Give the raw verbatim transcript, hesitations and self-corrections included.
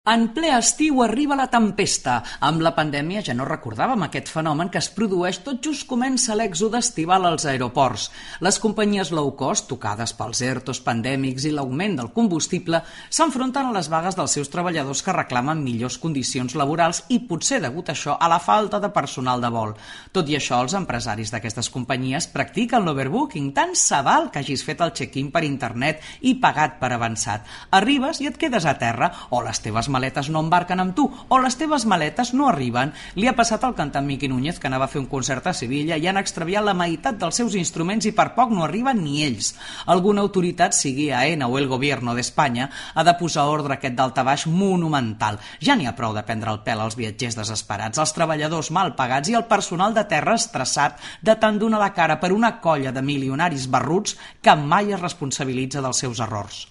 En ple estiu arriba la tempesta. Amb la pandèmia ja no recordàvem aquest fenomen que es produeix tot just comença l'èxode estival als aeroports. Les companyies low cost, tocades pels ertos pandèmics i l'augment del combustible, s'enfronten a les vagues dels seus treballadors que reclamen millors condicions laborals i potser degut a això a la falta de personal de vol. Tot i això, els empresaris d'aquestes companyies practiquen l'overbooking. Tant se val que hagis fet el check-in per internet i pagat per avançat. Arribes i et quedes a terra, o les teves maletes no embarquen amb tu, o les teves maletes no arriben. Li ha passat al cantant Miqui Núñez, que anava a fer un concert a Sevilla i han extraviat la meitat dels seus instruments i per poc no arriben ni ells. Alguna autoritat, sigui AENA o el Gobierno d'Espanya, ha de posar ordre a aquest daltabaix monumental. Ja n'hi ha prou de prendre el pèl als viatgers desesperats, als treballadors mal pagats i al personal de terra estressat de tant donar la cara per una colla de milionaris barruts que mai es responsabilitza dels seus errors.